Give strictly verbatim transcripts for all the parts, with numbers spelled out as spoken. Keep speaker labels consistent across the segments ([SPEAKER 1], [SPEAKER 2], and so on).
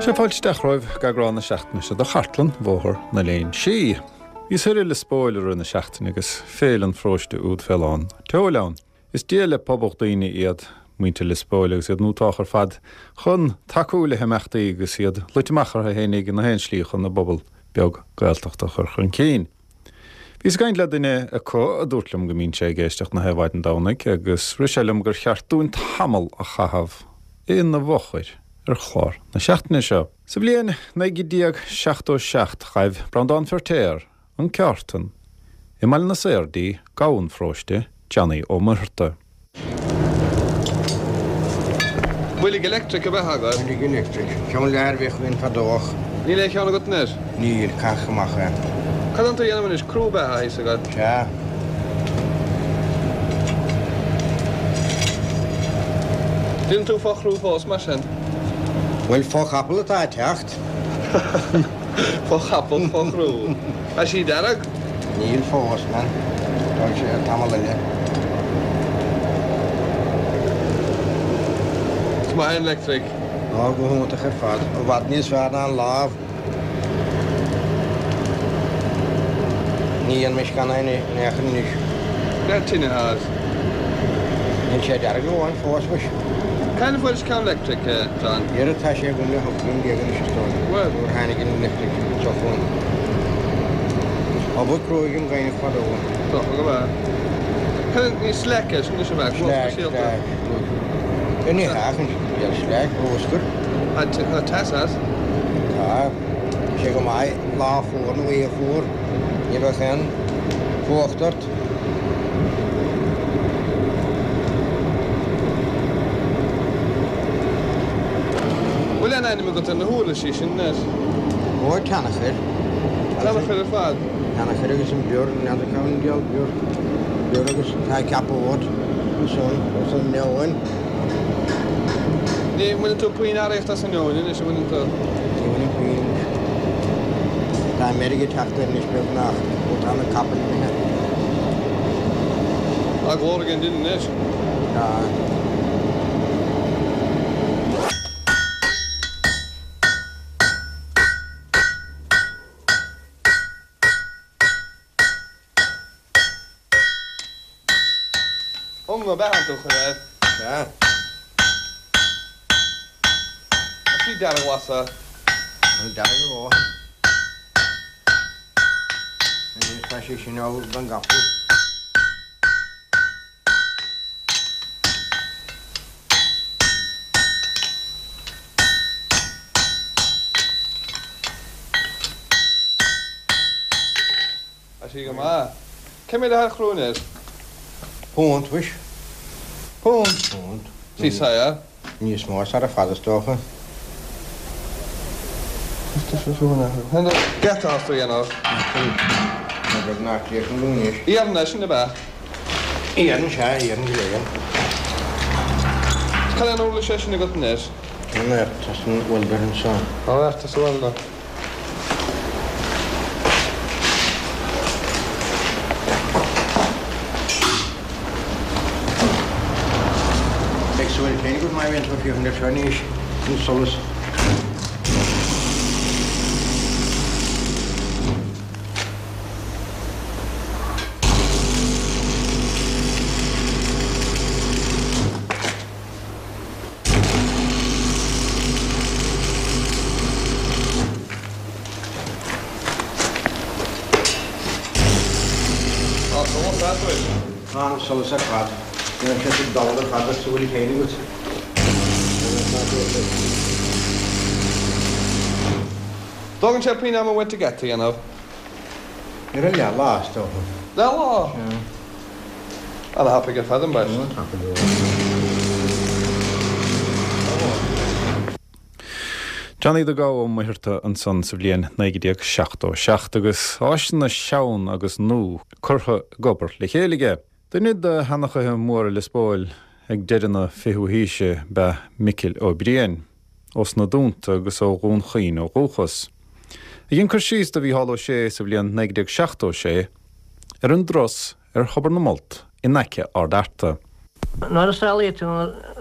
[SPEAKER 1] Sea, fáilte isteach romhaibh go eagrán na seachtaine seo de Chartlann Bhóthar na Léinsí. Bhíos thoir i Lios Póil i rith na seachtaine agus féile an pharóiste úd fé lán tseoil ann. Is dia le pobal daoine iad muintir Lios Póil agus iad nútách ar fad chun tacú le himeachtaí agus iad luite amach orthu fhéinig na haon slí chun a bpobal beag Gaeltachta a chur chun cinn. Bhíos ag caint le duine acu a dúirt liom go mbíonn sé ag éisteacht na haon mhaidin Domhnaigh agus rith sé liom gur cheart dúinn tamall a chaitheamh ina bhfochair ar chlár na seachtaine seo. Sa bhliain naoi déag seachtó seacht ghaibh Breandán Feirtéar an ceártan i mBaile na Saor dtí gabha an pharóiste, Johnny Ó Muircheartaigh.
[SPEAKER 2] Boilg electric ab ea agat?
[SPEAKER 3] Boilg electric. Ceann leathair a bhíodh againn fadó ach.
[SPEAKER 2] Níl aon cheann agat anois?
[SPEAKER 3] Níl, caitheadh amach é.
[SPEAKER 2] Cad tá tú a dhéanamh anois? Crú ab ea atá a fhios agat?
[SPEAKER 3] Sea.
[SPEAKER 2] Déanann tú fo-chrú fós mar sin?
[SPEAKER 3] Bhuel, fo-chapall atá ag teacht.
[SPEAKER 2] Fo-chapall, fo-chrú. Tá sí dearg?
[SPEAKER 3] Níl fós, man. Tógfaidh sé tamall eile.
[SPEAKER 2] Is maith an leictric.
[SPEAKER 3] Á, go hiontach ar fad. I bhfad níos fearr ná an lámh. Ní dhéanfaimis gan é in aon chor anois.
[SPEAKER 2] Cén tine as?
[SPEAKER 3] Níl sé dearg amháin fós, muis.
[SPEAKER 2] Cathain a fuairis ceann leictric, John?
[SPEAKER 3] Dhera tá sé agam le hocht mbliana déag anois is dóigh.
[SPEAKER 2] Bhuel.
[SPEAKER 3] Nuair a tháinig an leictric anseo chugainn. Obair cruaidh an ghaibhneach fadó.
[SPEAKER 2] Dócha go bhfeadh. Cad ní slack é sin anois ab ea?
[SPEAKER 3] Slack, slack. Ní hea, ach an slack, bruscar.
[SPEAKER 2] Tá teas as?
[SPEAKER 3] Tá. Sé go maith lá fuar nó oíche fuar. Ní bheadh aon fuacht ort.
[SPEAKER 2] Bhfuil aon ainm agat ar na huirlisí sin anois?
[SPEAKER 3] Ó, tionchar.
[SPEAKER 2] Tionchar ar fad?
[SPEAKER 3] Tionchar agus an bior, n'fheadar cá bhfuil an diabhal bior. Bior agus tá ceapód ansan, os an neoin.
[SPEAKER 2] Ní bhaineann tú puinn earraíocht as an neoin anois, an mbaineann tú?
[SPEAKER 3] Ní bhaineann puinn anois. Tá meirg ag teacht air anois beagnach ó tá na capaill imithe.
[SPEAKER 2] Tá glór ag an duine anois.
[SPEAKER 3] Tá.
[SPEAKER 2] Ionga ab ea an tú chur air?
[SPEAKER 3] Sea.
[SPEAKER 2] Tá sí dearg-ghlasa.
[SPEAKER 3] Tá dearg a dhóthain. Anois tá sé sin ullamh don gcapall.
[SPEAKER 2] Tá sí go maith. Cé mhéad atá ar chrú anois?
[SPEAKER 3] Punt, mhuis.
[SPEAKER 2] Punt?
[SPEAKER 3] Punt.
[SPEAKER 2] Sí, sea.
[SPEAKER 3] Níos mó sara fada is dócha.
[SPEAKER 2] Geata as tú a dhéanamh.
[SPEAKER 3] Tá beagnach críochnaithe anois.
[SPEAKER 2] Iarann é sin ab ea?
[SPEAKER 3] Iarann, sea, iarann go léir.
[SPEAKER 2] Cad é an uirlis é sin agat anois?
[SPEAKER 3] An Ertas an welder anseo.
[SPEAKER 2] Ó, Ertas welder.
[SPEAKER 3] Beidh súil féin agat má bhíonn tú ag féachaint air seo anois, an solas.
[SPEAKER 2] Tá solas agat anois.
[SPEAKER 3] Tá an solas ar fad. Déanann sé sa dall ar fad le súil féin agat.
[SPEAKER 2] Tógann sé puinn ama uait an geata a dhéanamh.
[SPEAKER 3] Ar a leath lá, is dócha.
[SPEAKER 2] Leath lá?
[SPEAKER 3] Sea.
[SPEAKER 2] Ana-thapaidh ar fad ambaist.
[SPEAKER 3] Ana-thapaidh go leor.
[SPEAKER 1] Johnny the Gabha Ó Muircheartaigh ansan sa bhliain naoi déag seachtó seacht agus áiseanna sean agus nua curtha ag obair le chéile aige. Duine de sheanchaithe móra Lios Póil ag deireadh na fichiú haoise ba ea Micil Ó Briain, ós na Dúnta agus ó Dhún Chaoin ó dhúchas. A dhein cur síos do Mhícheál Ó Sé sa bhliain naoi déag seachtó sé ar an dturas ar Thobar na Molt in aice Ard Fhearta.
[SPEAKER 4] Nuair a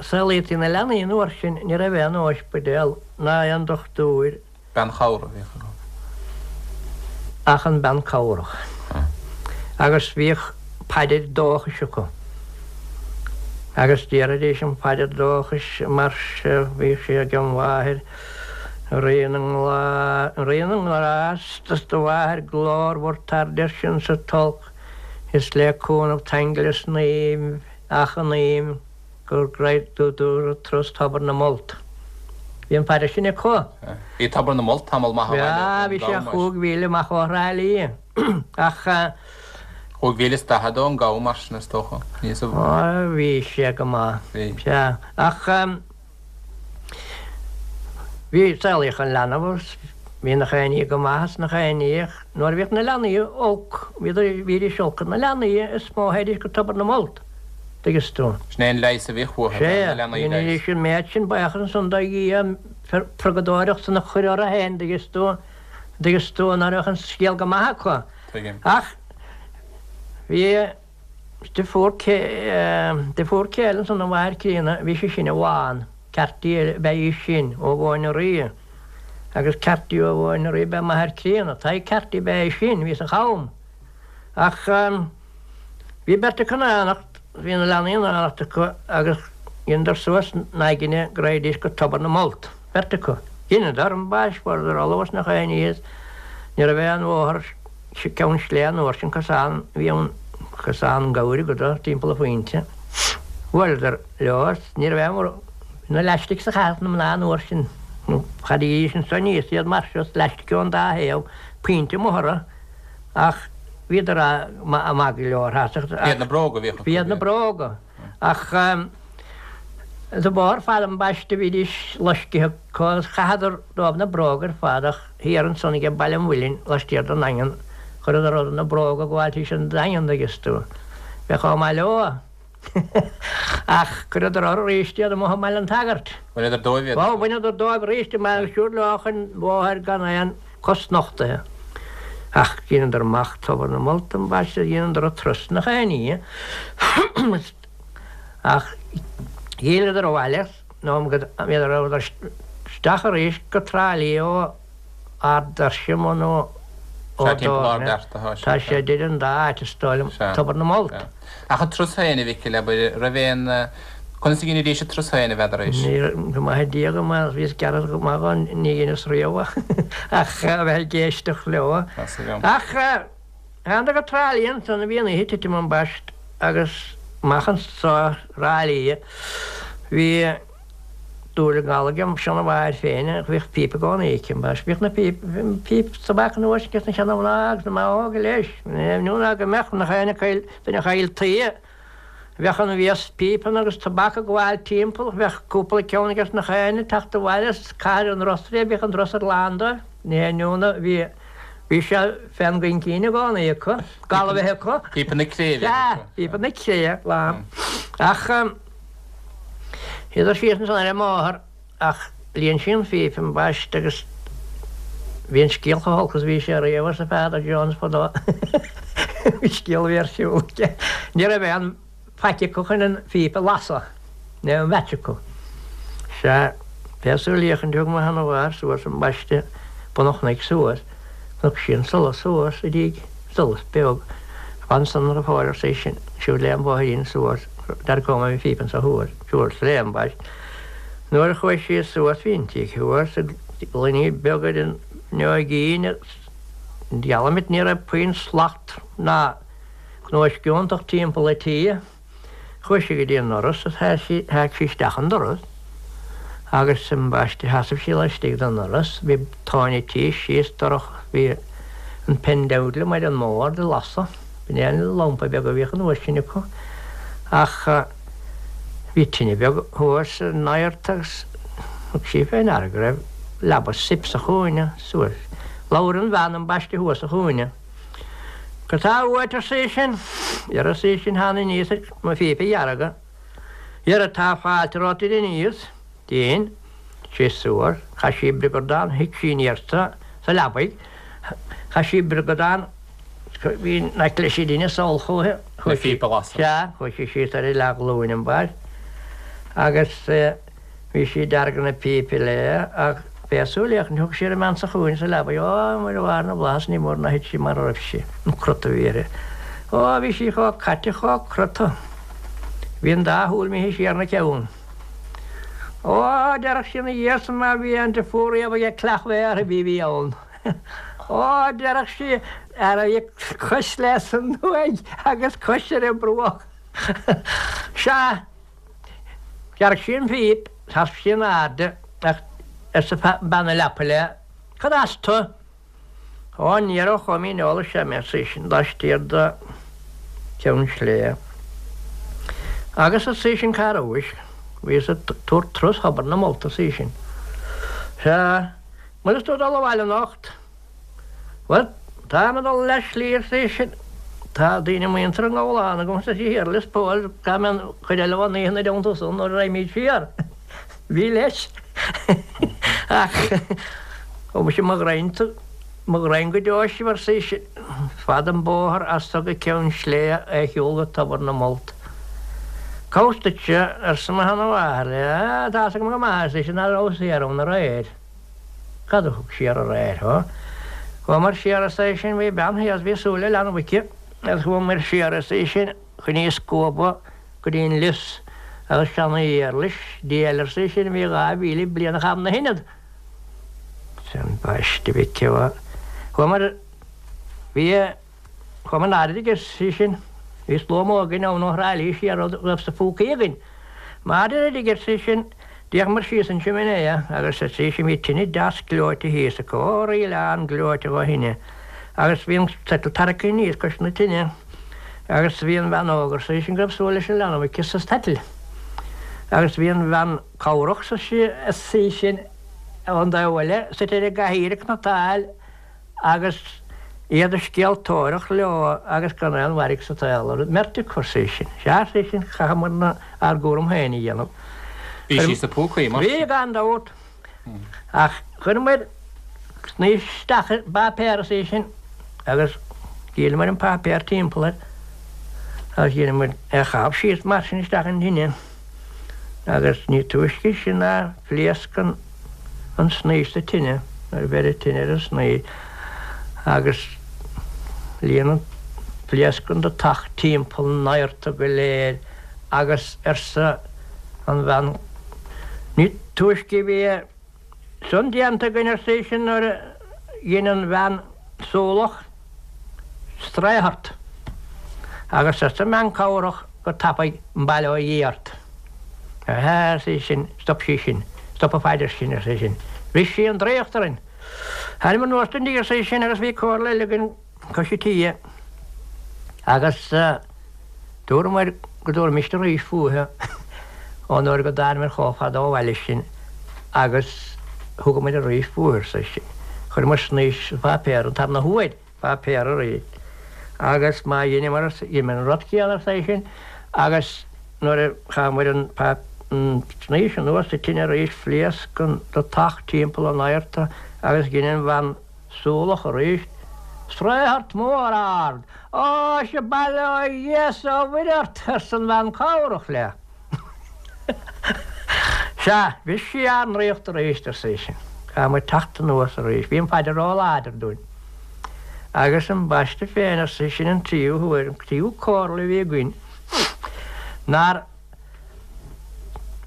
[SPEAKER 4] saolaítí na leanaí an uair sin ní raibh aon ospidéal ná aon dochtúir.
[SPEAKER 2] Bean chabhrach a bhíodh acu.
[SPEAKER 4] Ach an bean cabhrach. Agus bhíodh paidir dóchais acu. Agus déarfaidís an phaidir dóchais mar seo, bhíodh sé ag an Mháthair, Rí na Rí na nGrást is do Mháthair glórmhar tar deirsean sa tolc, is le cúnamh t-aingeal is naoimh achainím gur go turas Tobar na Molt. Bhí an phaidir sin acu.
[SPEAKER 2] Bhí Tobar na Molt tamall maith ó
[SPEAKER 4] bhaile. Bhí sé chúig mhíle amach ó Thrá Lí. Ach.
[SPEAKER 2] Chúig mhíle is daichead ón gCam mar sin is dócha. Níos.
[SPEAKER 4] Bhí sé go maith. Bhí. Sea. Ach bhí saolaíodh an leanbh agus bhí nach aon ní go maith is nach aon ní ach nuair a bhíodh na leanaí olc, bhídís olc ar na leanaí is mó a théidís go Tobar na Molt. Tuigeann tú.
[SPEAKER 2] Sin é an leigheas a bhíodh uathu,
[SPEAKER 4] Sea, dheinidís an méid sin buíochas ansan do Dhia, an purgadóireacht san a chur orthu féin, tuigeann tú, tuigeann tú, nuair a bheadh an scéal go maith acu.
[SPEAKER 2] Tuigim.
[SPEAKER 4] Ach bhí deirfiúr, deirfiúr céile ansan do mháthair críonna, bhí sí sin i bhfán, Carty ab ea í sin, ó Mhóin an Rí. Agus Carty ó Mhóin an Rí ab ea máthair críonna, Tadhg Carty ab ea é sin, bhí sa Cham. Ach bhí beirt acu in éineacht, bhí na leanaí in éineacht acu agus dheineadar suas n-aigne go raghaidís go Tobar na Molt, beirt acu. Dheineadar ambaist, fuaireadar ullamh as nach aon ní is ní raibh aon bhóthar ceann sléibhe an uair sin, cosán a bhí ann, cosán gabhair go do timpeall an phointe. Bhuaileadar leo is ní raibh aon bhí na leaistice a chaitheadh na mná an uair sin, chaithidís anso aníos iad mar seo is leaistice ón dá thaobh, pointe amuigh orthu. Ach bhíodar maith go leor ach.
[SPEAKER 2] B'iad na bróga a bhíodh acu.
[SPEAKER 4] B'iad na bróga. Ach sa bharr fad ambaiste bhídís loiscithe acu agus chaitheadar dóibh na bróga ar fad ach thiar ansan ag Baile an Mhuilinn laistiar den nDaingean chuireadar orthu na bróga ag gabháil tríd an Daingean dtuigeas tú. Bheadh chomh maith leo. Ach chuireadar orthu arís iad amuigh i mBaile an tSagairt.
[SPEAKER 2] Bhaineadar dóibh iad.
[SPEAKER 4] Ó, bhaineadar dóibh arís i mBaile siúd leo chun bóthair gan aon cos nochtaithe. Ach dheineadar amach Tobar na Molt ambaiste, dheineadar an turas nach aon ní. Ach dh'fhilleadar abhaile nó bhíodar rabhadar isteach arís go Trá Lí ó Ard Doirse nó ó
[SPEAKER 2] Sea, timpeall Ard Fhearta atá sé.
[SPEAKER 4] Tá sé idir an dá áit is dóigh liom, Tobar na Molt.
[SPEAKER 2] Ach an turas féin, a Mhicil, abair, raibh aon, conas a dheinidís an turas féin, a n'fheadar-sa?
[SPEAKER 4] Ní, go maithe Dia go maith, bhíos gearr go maith dhó, ní dheineas riamh ach a bheith ag éisteacht leo. Ach thánadar go Trá Lí ansan, bhí an oíche ag titim ambaist agus amach anso Thrá Lí, bhí dúil an ghal agam seana-mháthair féin, bhíodh píopa i gcónaí aici ambaist. Bhíodh na píopa, píopa tobac an uair sin aige na seana-mhná agus na mná óga leis. Nó ná go mbeadh nach aon chaill, duine a chaill tuí, bheadh an mhias píopanna agus tobac ag gabháil timpeall, bheadh cúpla ceann aige nach aon ag teacht abhaile as cathair an Rosra, bhíodh an doras ar lán dóibh. Ní haon ionadh, bhí, bhí sé fén gcuingcín i gcónaí acu, gal a bheith acu.
[SPEAKER 2] Píopa na cré a bhíodh
[SPEAKER 4] Sea,
[SPEAKER 2] acu.
[SPEAKER 4] píopa na cré, lán. Ach. Shuíodar síos ansan ar an mbóthar ach líon sí an phíp ambaist agus bhí an scéal chomh holc is a bhí sé riamh, arsa Peadar Jones fadó. Bhí scéal a bhí ar siúl aige. Ní raibh aon faic acu chun an phíp a lasadh, ní raibh aon mhaits acu. Sea, pé súil fhéachaint thug mo sheanamháthair suas ambaiste bun an chnoic suas, chonaic sí an solas thuas i dtigh, solas beag. Fan ansan go fóill, arsa í sin, siúd léi an bóithrín suas, dearcóidh mé an phíp anso thuas, siúd léi ambaist. Nuair a chuaigh sí suas bhí an tigh thuas, gloiní beaga ar an bhfuinneoigín agus dealramh ní raibh puinn slacht ná gnóisceantacht timpeall an tí. Chuaigh sí go dtí an ndoras is sheac sí isteach an doras agus ambaiste sheasaimh sí laistigh den ndoras. Bhí tóin an tí síos dorcha, bhí an pendeadle ar an mbord ag lasadh. B'in é an lampa beag a bhíodh an uair sin acu. Ach bhí tine bheag thuas san adhart agus thug sí fé ndeara go raibh leaba soip sa chúinne suas. Labhair an bhean ambaiste thuas sa chúinne. Cad tá uait, arsa í sin. Dhera, arsa í sin, thána aníos ar mo phíopa a dheargadh. Dhera, tá fáilte romhat tar aníos. Dhein sé suas. Chaith sí briogadán, shuigh sí aniar sa leabaidh. Chaith sí briogadán, bhí in aice leis an dtine, sall chúithi.
[SPEAKER 2] Le phíopa a lasadh.
[SPEAKER 4] Sea, chuaigh sí síos ar a leathghlúin ambaist agus bhí sí ag deargadh na pípe léi ach b'é a súil fhéachaint thug sí ar an mbean sa chúinne sa leabaidh, Ó, Muire Mháthair na bhFlaitheas, ní mór nár thit sí mara raibh sí, an crot a bhí uirthi. Ó, bhí sí chomh caite, chomh crosta. Bhí an dá shúil imithe siar 'na ceann. Ó, déarfadh sí ina dhiaidh san má bhí aon deirfiúr riamh aige creach mhéar a bhí bhí ann. Ó, déarfadh sí, ara bhí cois léi san uaigh agus cois ar an mbruach. Sea, dhearg sí an phíp, sheas sí in airde ach arsa bean na leapa léi, Cad as tu? Ó, ní raibh chomh mín eolais agam, arsa í sin, laistiar de Cheann Sléibhe. Agus arsa í sin cá rabhais? Bhíos ag tabhairt turas Thobar na Molt, arsa í sin. Sea, an bhfuil tú ag dul abhaile anocht? Bhuel, táim ag dul leath slí, arsa í sin. Tá daoine muinteartha i nGabhlán agam, arsa sí, thiar i Lios Póil, caithfidh mé an chuid eile den oíche ina dteannta san nuair a raghaimid siar. Bhí leis. Ach ó mise mo ghreim mo ghreim go deo sibh, arsa í sin. Fada an bóthar as so go Ceann Sléibhe é a shiúl go Tobar na Molt. Cá bhfios duitse, arsa mo sheanmháthair léi. Á, tá's agam go maith, arsa í sin, nach raibh siar ann aréir. Cad a thug siar aréir thú? Chuamar siar, arsa í sin, bhí bean thíos, bhí súil le leanbh aici, agus chuamar siar, arsa í sin, chun í a scuabadh go dtí an lios agus seana-éarlais, Dia eile, arsa í sin, a bhí dhá mhíle bliain a chaitheamh 'na hionad. Ambaiste, a mhic ó. Chuamar, bhí, chuamar in airde, arsa í sin, bhí slua mór againn ann ó Thrá Lí siar a raibh sna phúcaí againn. Maidir le arsa í sin, d'fhéachamar síos an simné agus arsa í sin, bhí tine deas gleoite thíos acu, ó, ríleán gleoite dho thine, agus bhí an tsoitheal tarraicthe aníos cois na tine agus bhí an bhean óg, arsa í sin, go raibh súil leis an leanbh aici sa tsoitheal agus bhí an bhean cabhrach, arsa í sin, ón dtaobh eile, suite ar an gcathaoir ag cniotáil agus iad ag scéaltóireacht leo agus gan aon mhairg sa tsaol orthu, mbeirt acu, arsa í sin. Sea, arsa í sin, chaitheamar ár gcúram féin a dhéanamh.
[SPEAKER 2] Bhí sí sna púcaí, mar
[SPEAKER 4] sin? Bhí, gan dabht. Ach chuireamar snaois isteach i bpáipéar, arsa í sin, agus dhíolamar an páipéar timpeall air agus dheineamar é a chaitheamh síos mar sin isteach an tine agus ní túisce sin ná phléasc an an snaois sa tine nuair a bheireadh tine ar an snaois agus líon an phléasc an deatach timpeall an adharta go léir agus arsa an bhean ní túisce a bhí san déanta againn arsa í sin nuair a dhein an bhean súlach strae ort agus arsa an bhean cabhrach go tapaidh bail ó Dhia ort. Aha, arsa í sin, stop sí sin, stop an phaidir sin, arsa í sin. Bhris sí an draíocht orainn. Thánamar anuas don dtigh, arsa í sin, agus bhí comhairle eile againn cois an tíghe agus dúramar go dtabharfaimist arís fúithi ón uair go dtánamar chomh fada ó bhaile sin agus thugamar arís fúithi, arsa í sin. Chuireamar snaois sa pháipéar an tarna huair. Páipéar arís. Agus má dheineamar, dheineamar an rud céanna, arsa í sin, agus nuair a chaitheamar an snaois anuas sa tine arís phléasc an deatach timpeall an adharta agus dhein an bhean súlach arís sraothart mór ard. Ó, sea, bail ó Dhia 's ó Mhuire ort, arsa an bhean cabhrach léi. Sea, bhris sí ár ndraíocht arís, arsa í sin. Chaith muid teacht anuas arís. Bhí an phaidir ró-láidir dúinn. Agus ambaiste féin, arsa í sin, an tríú huair, an tríú comhairle a bhí againn, nár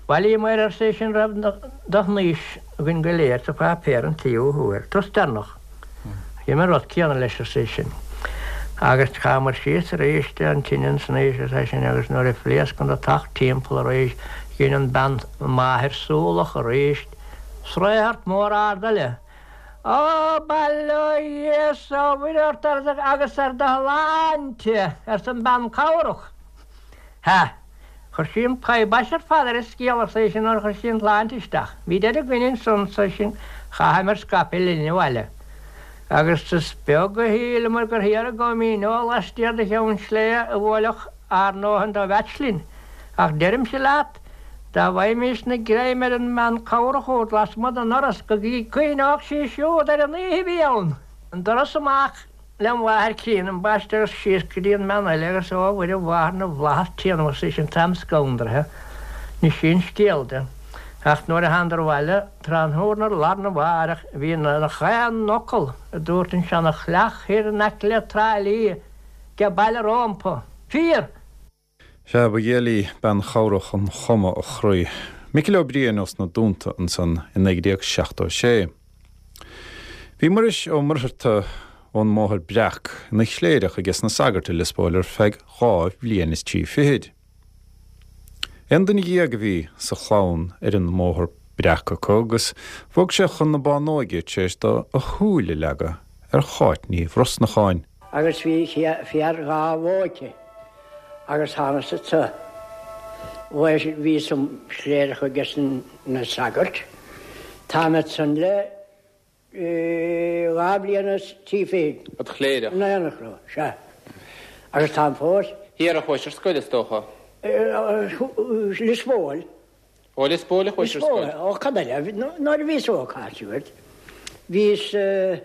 [SPEAKER 4] bhailíomar, arsa í sin, raibh de shnaois againn go léir sa pháipéar an tríú huair, turas deireanach. Dhein an rud céanna leis, arsa í sin. Agus chaitheamar síos arís an tine an snaois, arsa í sin, agus nuair a phléasc an deatach timpeall arís, dhein an bhean máthair súlach arís, sraothart mór ard eile. Ó, bail ó Dhia 's ó Mhuire ort agus ar do shláinte, arsa an bhean cabhrach. Ha! Chuir sí an pibais ar fad ar an scéal, arsa í sin, nuair a chuir sí an tsláinte isteach. Bhí deireadh againn ansan, arsa í sin, chaitheamar scaipeadh linn abhaile. Agus is beag a shíleamar gur thiar i gCom Dhíneol laistiar de Cheann Sléibhe a bhuailfeadh ár ndóthain de mheaits linn. Ach deirimse leat, dá bhfaighimísne greim ar an mbean cabhrach úd lasmuigh den ndoras, go gcuimhneodh sí siúd ar an oíche a bhí ann. An doras amach lem mháthair críonna ambaiste agus síos go dtí an mbean eile agus ó a Mhuire Mháthair na bhFlaitheas téanamh is an t-am scanraithe ní sin scéal de. Ach nuair a thánadar abhaile tráthnóna lá arna mhárach bhí na chaon fhocal a dúirt an seana-chleach thiar in aice le Trá Lí ag baile rómpa. Fíor!
[SPEAKER 1] Sea, ba ghéill í bean chabhrach an chuma a chroí. Micil Ó Briain ós na Dúnta ansan i naoi déag seachtó sé. Bhí Muiris Ó Muircheartaigh ón mBóthar Breac ina chléireach aige na sagairt i Lios Póil ar feadh dhá bhliain is trí fichid. Aon duine dhéag a bhí sa chlann ar an mBóthar Breac acu agus bhog sé chun na Bánóige tar éis dó a shúil a leagadh ar Cháit Ní Bhrosnacháin.
[SPEAKER 3] Agus bhí fear dhá bhó aici agus thánas anso. Bhíos im chléireach aige na sagairt. Táim ansan le dhá bhliain is trí fichid.
[SPEAKER 2] Id chléireach?
[SPEAKER 3] In aon chor, sea. Agus táim fós.
[SPEAKER 2] Thiar a chuais ar scoil is dócha?
[SPEAKER 3] Lios Póil.
[SPEAKER 2] Ó Lios Póil a chuais ar scoil?
[SPEAKER 3] Ó cad eile, nuair a bhíos óg thart. Bhíos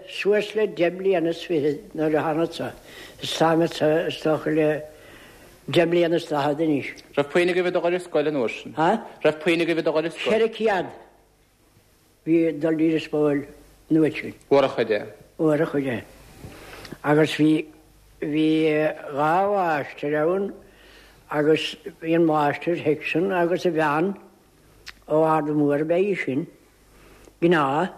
[SPEAKER 3] suas le deich mbliana is fiche nuair a thánas anso. Is táim anso is dócha le deich mbliana is daichead anois.
[SPEAKER 2] Raibh puinn agaibh ag dul ar scoil an uair sin?
[SPEAKER 3] Ha?
[SPEAKER 2] Raibh puinn agaibh ag dul ar scoil?
[SPEAKER 3] Ceithre chéad bhí ag dul dtí Lios Póil an uair sin.
[SPEAKER 2] Mhór a chuid é.
[SPEAKER 3] Mhór a chuid é. Agus bhí bhí dhá mháistir ann agus bhí an máistir Hickson agus a bhean ó Ard Mór ab ea í sin, gnáth,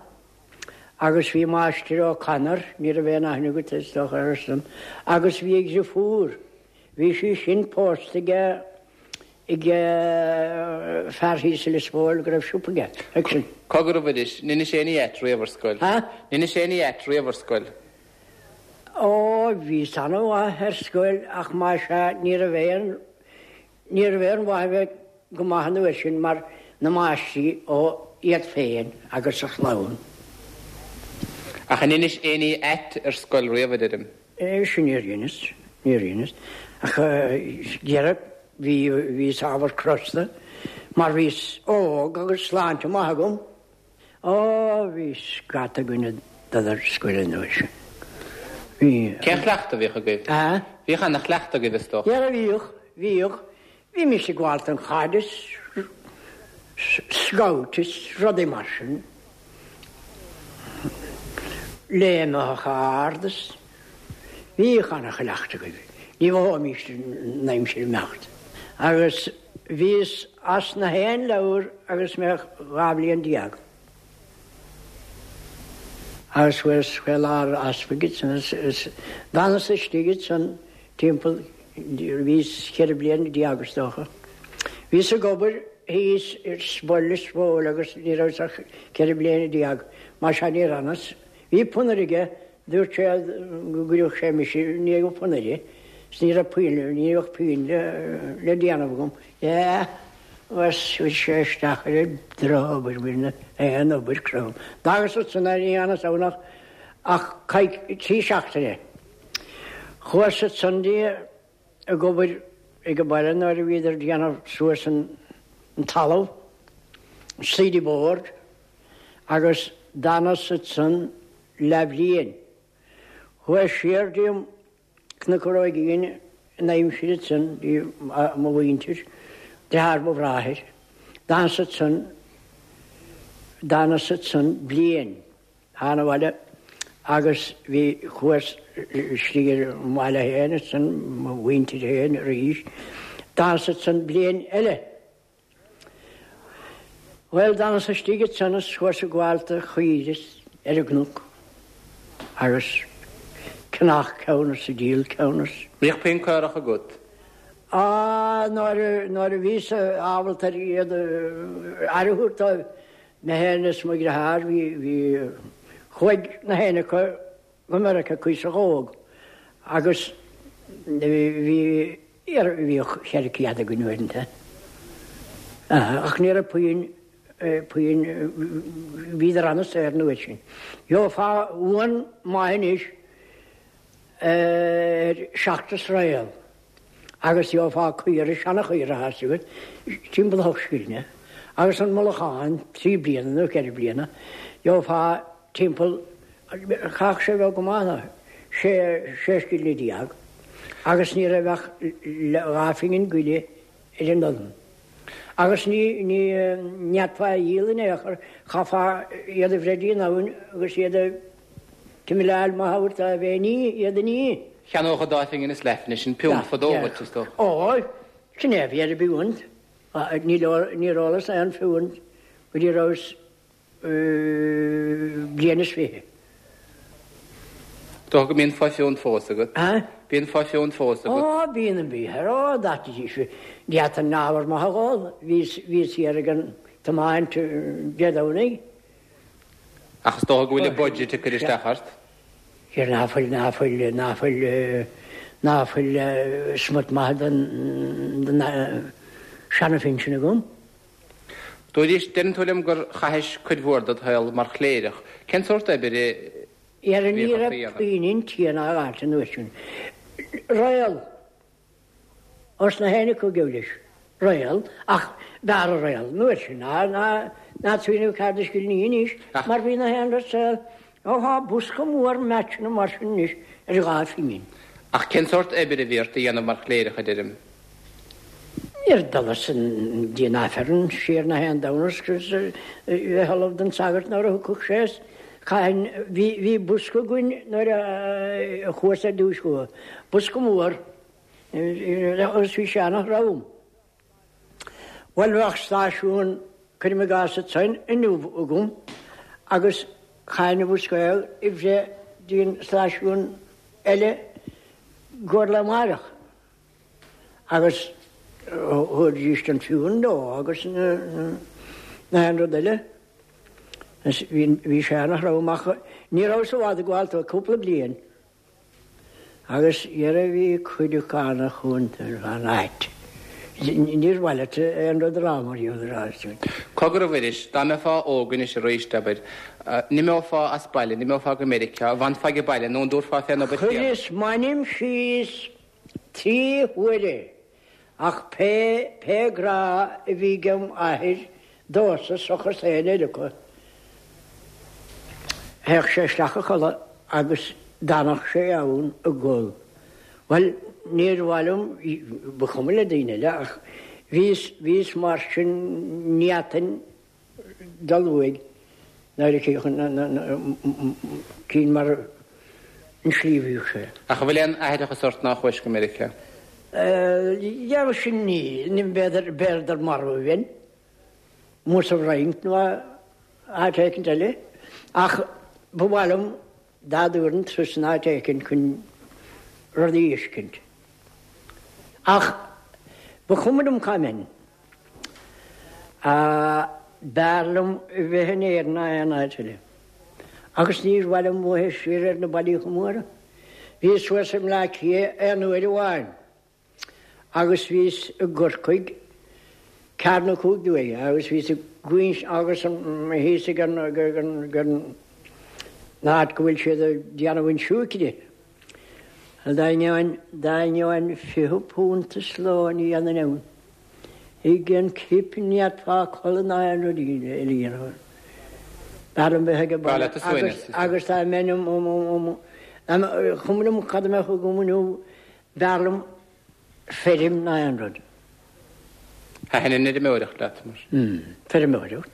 [SPEAKER 3] agus bhí máistir O'Connor, ní raibh aon aithne agat is dócha air-san, agus bhí a dheirfiúr, bhí sí sin pósta aige ag fear thíos i Lios Póil go raibh siopa aige, Hickson.
[SPEAKER 2] Cogar a Mhuiris, an inis éinne ait riamh ar scoil?
[SPEAKER 3] Ha?
[SPEAKER 2] An inis éinne ait riamh ar scoil?
[SPEAKER 3] Ó, bhíos an-mhaith ar scoil ach más ea ní raibh aon ní raibh aon mhaith a bheith go maith an uair sin mar na máistrí ó iad féin agus a chlann.
[SPEAKER 2] Ach an inis éinne ait ar scoil riamh a deirim?
[SPEAKER 3] É sin níor inis, níor inis. Ach dheireadh bhí bhíos ábhar crosta mar bhíos óg agus sláinte maith agam. Ó, bhí scata againn ag dul ar scoil an uair sin. Bhí.
[SPEAKER 2] Cén chleachtadh a bhíodh agaibh?
[SPEAKER 3] A?
[SPEAKER 2] Bhíodh ana-chleachtadh agaibh is dócha.
[SPEAKER 3] Dhera bhíodh, bhíodh. Bhí mise ag gabháil don chaid is scout is rudaí mar sin. Léimeadh ard is bhíodh ana-chleachtadh agaibh. Ní mhothóimis an aimsir imeacht. Agus bhíos as na haon leabhar agus mé dhá bhliain déag. Agus chuas fé láthair easpaig is d'fhanas istigh ansan timpeall bhíos ceithre bliana déag is dócha. Bhíos ag obair thíos ar Spoil Lios Póil agus ní raibh ach ceithre bliana déag mar sea níor fhanas. Bhí punaire aige, dúirt sé go gcuirfeadh sé mise i ndiaidh an phunaire, is ní raibh puinn, ní raibh puinn le, le déanamh agam. Yeah, agus chuir sé isteach ar an drochobair, bhí na aon obair crom. D'fhágas ansan é, ní fhanas ann ach, ach coic, trí seachtaine. Chuas ansan di ag obair ag an baile nuair a bhíodar ag déanamh suas an, an talamh, cedar board, agus d'fhanas ansan leathbhliain. Chuas siar dtí Cnoc an Róigín in aimsir ansan dtí mo mhuintir, deartháir mo bhráthair. D'fhanas ansan, d'fhanas ansan bliain. Thána abhaile agus bhí chuas istigh ar an mbaile féin ansan, mo mhuintir féin arís. D'fhanas ansan bliain eile. Bhuel, d'fhanas istigh ansan is chuas ag gabháil do chaoire ar an gcnoc agus ceannach ceann is ag díol ceann is.
[SPEAKER 2] Bhíodh puinn caorach agat?
[SPEAKER 3] Á, nuair a, nuair a bhíos ábalta ar iad a aire a thabhairt dóibh, mé féin is mo dheartháir, bhí, bhí, chuaigh na haon acu go Meiriceá cuíosach óg agus bhí, bhíodh ceithre chéad againn uaireanta. Ach ní raibh puinn, puinn, bhíodar an-saor an uair sin. Gheofá uan maith anois ar seacht sraol agus gheofá caora, seana-chaora thart agat, timpeall ocht scilling, agus an mullachán trí bliana nó ceithre bliana, gheofá timpeall, chaithfeadh sé bheith go maith ná sé sé scilling déag agus ní raibh ach dhá phingin goile ar an dozen. Agus ní ní n'fhéadfá a dhíol in aon chor, chaithfeá iad a bhreith dtí an abhainn agus iad a timileáil maith a thabhairt a bheith ní, iad a ní.
[SPEAKER 2] Cheannódh dhá phingin is leath anois an piúnt fadó dhuit, is dócha.
[SPEAKER 3] Ó, sin é a bhí ar an bpiúnt. Níor ólas aon phiúnt go dtí rabhas bliain is fiche.
[SPEAKER 2] Dócha go mbíonn fo-phiúnt fós agat.
[SPEAKER 3] Hä?
[SPEAKER 2] Bíonn fo-phiúnt fós agat.
[SPEAKER 3] Ó, bíonn an bíthear. Ó, d'fhéadfaidís. D'fhéadfainn ábhar maith a dh'ól. Bhíos, bhíos thiar ag an tiomáint Dé Domhnaigh.
[SPEAKER 2] Ach is dócha go bhfuil an budget ag cur isteach ort.
[SPEAKER 3] Thiar ná fuil, ná fuil, ná fuil, ná fuil smut maith den, den seana-phinsean agam.
[SPEAKER 2] Dúirt, deireann tú liom gur chaithis cuid mhór dod shaol mar chléireach. Cén sórt oibre a
[SPEAKER 3] Ar ní
[SPEAKER 2] bhíodh ort
[SPEAKER 3] raibh
[SPEAKER 2] a dhéanamh?
[SPEAKER 3] puinn inti ná áit an uair sin. Réal. Os na héinne acu geall leis. Réal, ach b'fhearr a réal an uair sin ná ná ná smaoineamh ceathair scilling anois
[SPEAKER 2] Ach.
[SPEAKER 3] mar bhí na haon rud saol. Ó thá bosca mór meaitseanna mar sin anois ar dhá phingin.
[SPEAKER 2] Ach cén sórt oibre a bhí ort a dhéanamh mar chléireach, a deirim?
[SPEAKER 3] Níor dholas dtí an Aifreann siar na haon Domhnach agus a bheith ullamh don sagart nuair a thiocfadh sé is chaithfinn, bhí, bhí bosca againn nuair a chuas ar dtúis chucu, bosca mór agus bhí sé ana-throm. Bhuel bheadh stáisiún, cuirim i gcás ansan, inniu agam agus chaithfinn an bosca a bhreith dtí an stáisiún eile go lá amárach. Agus thabharfaidís an piúnt dó agus na haon rud eile. Bhí sé ana-throm ach ní rabhas i bhfad ag gabháil dó, cúpla bliain. Agus dhera bhí cuid acu ana-chúnta ar an áit. Níor mhaith leat aon rud a rá mar gheall air sin.
[SPEAKER 2] Cogar a Mhuiris, dá mbeifeá óg anois arís, abair, n-imeofá as baile, n-imeofá go Meiriceá, an bhfanfá age baile nó an dtabharfá fén obair chéanna?
[SPEAKER 3] Chuireas m'ainm síos trí huaire ach pé, pé grá a bhí agam athair domhsa seachas aon eile acu, théadh sé isteach a chodladh agus d'fhanadh sé ann ag gol. Bhuel, níor mhaith liom, ba chuma le daoine eile, ach bhíos, bhíos mar sin, ní fhéadfainn dul uaidh nuair a cinn mar an slí a bhíodh sé.
[SPEAKER 2] Ach an bhfuil aon aithreachas ort nár chuais go Meiriceá?
[SPEAKER 3] Dheamhan sin níl, ní b'fhéidir, b'fhéidir marbh a bheinn, amuigh sa bhFrainc nó áit éicint eile, ach ba mhaith liom dá dtabharfainn turas in áit éicint chun rudaí a fheiscint. Ach ba chuma liom cá mbeinn. B'fhearr liom a bheith in Éirinn ná aon áit eile. Agus níor mhaith liom bheith siar ar na bailíocha móra. Bhíos suas i mBleá Cliath aon uair amháin agus bhíos i gCorcaigh ceathair nó cúig d'uaire agus bhíos ag guíns agus thíos ag an an áit go bhfuil siad ag déanamh an siúicre. Dá ngeobhainn dá ngeobhainn fiche punt sa ló ní dhéanfainn ann. Ag an cip ní fhéadfá codladh ná aon rud eile a dhéanamh. B'fhearr liom bheith ag an
[SPEAKER 2] B'fhearr
[SPEAKER 3] baile
[SPEAKER 2] leat a suaimhneas.
[SPEAKER 3] agus dá mbeinn um um um um chuma liom cad a mbeadh agam inniu b'fhearr liom feirm ná aon rud.
[SPEAKER 2] Thaitin an fheirmeoireacht leat mar?
[SPEAKER 3] Feirmeoireacht.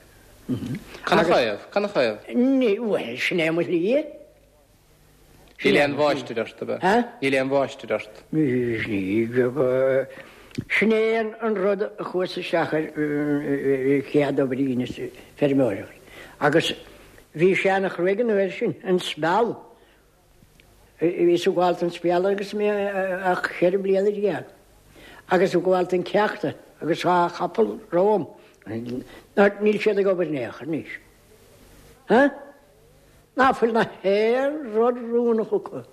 [SPEAKER 2] Canathaobh? Canathaobh?
[SPEAKER 3] Ní, bhuel, sin é mo shlí.
[SPEAKER 2] Níl aon mháistir ort, ab ea?
[SPEAKER 3] Hä?
[SPEAKER 2] Níl aon mháistir ort.
[SPEAKER 3] Ní, sin é an rud a chuas isteach ar chéad obair a dheineas, feirmeoireacht. Agus bhí sé ana-chruaidh an uair sin, an speal. Bhíos ag gabháil don speal agus mé ach ceithre bliana déag. Agus ag gabháil don chéachta agus dhá chapall romham. Níl siad ag obair in aon chor anois. Hä? Ná fuil na haon rud rúnach acu.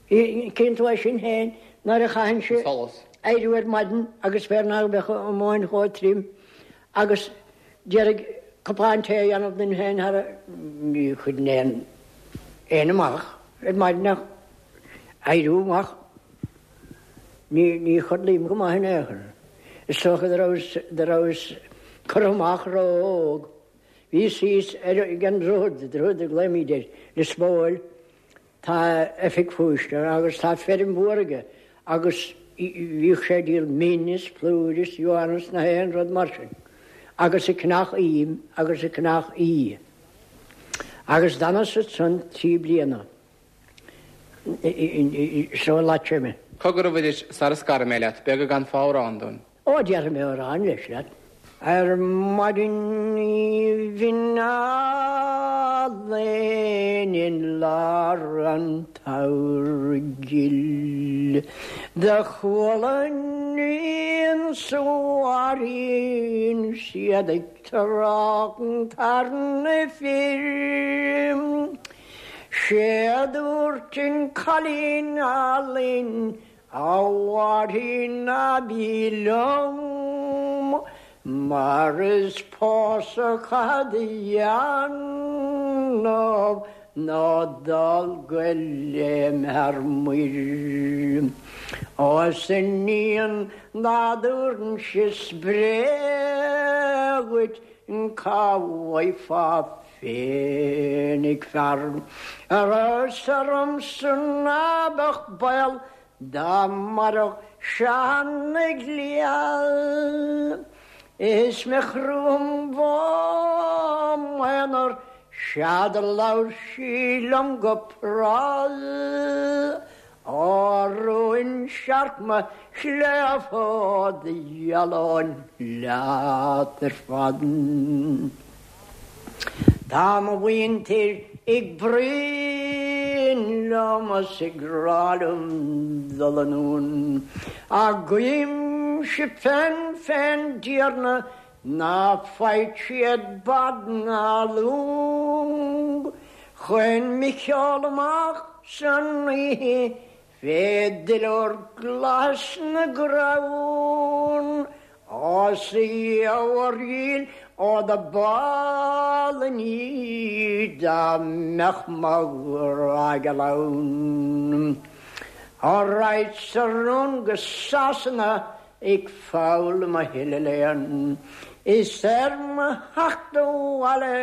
[SPEAKER 3] Cén tú é sin féin nuair a chaitheann sé
[SPEAKER 2] Solas.
[SPEAKER 3] éiriú ar maidin agus féar nach mbeadh an mhóin chomh trim agus d'iarraidh cupán tae a dhéanamh dúinn féin thar a ní chuireann aon aon amach ar maidin ach éiriú amach. Ní ní chodlaím go maith in aon chor. Is dócha do rabhas do rabhas curtha amach ró-óg. Bhíos thíos ar ag an droichead, droichead a ghlaoimid air, Lios Póil, tá oifig phoist agus tá feirm mhór aige agus bhíodh sé ag díol min is plúr is uan is na haon rud mar sin agus ag ceannach im agus ag ceannach uibhe. Agus d'fhanas ansan trí bliana so leat mé.
[SPEAKER 2] Cogar a Mhuiris, sara scarfaidh mé leat, b'fhéidir go gcanfá amhrán dúinn.
[SPEAKER 3] Ó, déarfaidh mé amhrán leis leat. Ar maidin aoibhinn álainn in lár an tsamhraidh ghil do chuala naíon sa bhfairrge 's iad ag trácht ar na fir. 'Sé a dúirt an cailín álainn A Mháirín ná bí liom mar is pósadh caithfead a dhéanamh ná dul go léim thar muir. Ó 's a iníon dá dtabharfainnse spré dhuit cá bhfaighfeá féinig fear Ar ormsa ná beadh baol dá mairfeadh Seán na gCliabh Is mé chrom m'aonar 'sea do labhair sí liom go pras Á rúin searc mo chléibh ó do ghealóinn leat ar fad. Tá mo mhuintir ag bruíon liom is ag rá liom dul anonn, ach guímse féin fén dTiarna ná faigheadh siad bád ná long chun mé sheoladh amach san oíche fé dhuilliúr glas na gcrann. Ó 's a gheamhair dhil ó do b'álainn í dá mbeadh mo ghrá geal ann. Ó raghadsa anonn go Sasana ag foghlaim a thuilleadh léinn, is ar mo theacht abhaile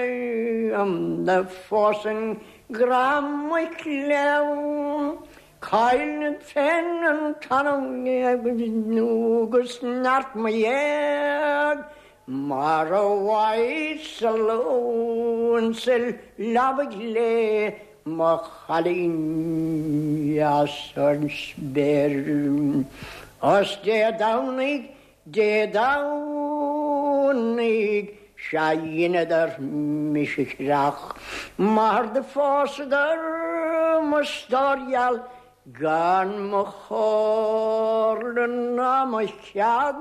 [SPEAKER 3] do phósfainn grá mo chléibh. Caillfead féin an t-anam agus neart mo ghéag mar a bhfaighis-se lón sa leabaidh le mo chailín dheas ar an spéir. Os Dé Domhnaigh, Dé Domhnaigh, sea dheineadar mise chreach mar do phósadar mo stór gheal gan mo chomhairle ná mo chead.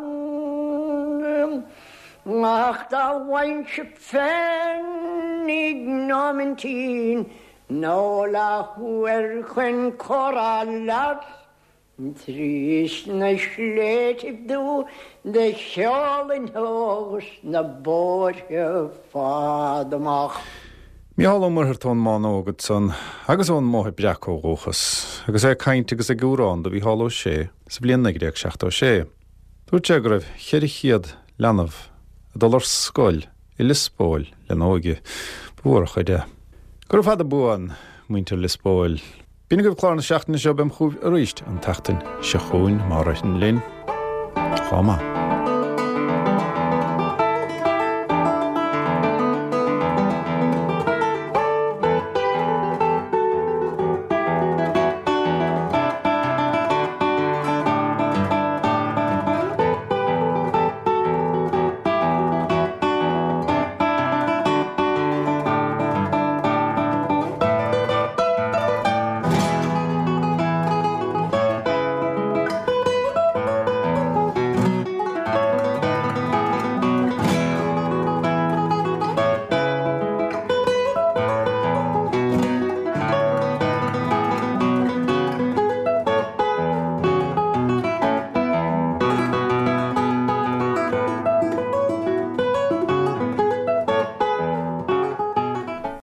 [SPEAKER 3] Ach dá bhfaighinnse féinig nóimintín nó leathuair chun comhrá leat, Trís na sléibhtibh thú do sheolfainn thú 's na bóithre fada amach.
[SPEAKER 1] Mícheál Ó Muircheartaigh ón mBánóg ansan agus ón mBóthar Breac ó dhúchas, agus é ag caint agus ag amhrán do Mhícheál Ó Sé sa bhliain naoi déag seachtó sé. Dúirt sé go raibh cheithre chéad leanbh ag dul ar scoil i Liospóil lena óige. Ba mhór a chuid é. Gura fada buan, muintir Liospóil. B'in agaibh clár na seachtaine seo beam chugaibh arís an tseachtain seo chugainn má ritheann linn. Chomh maith.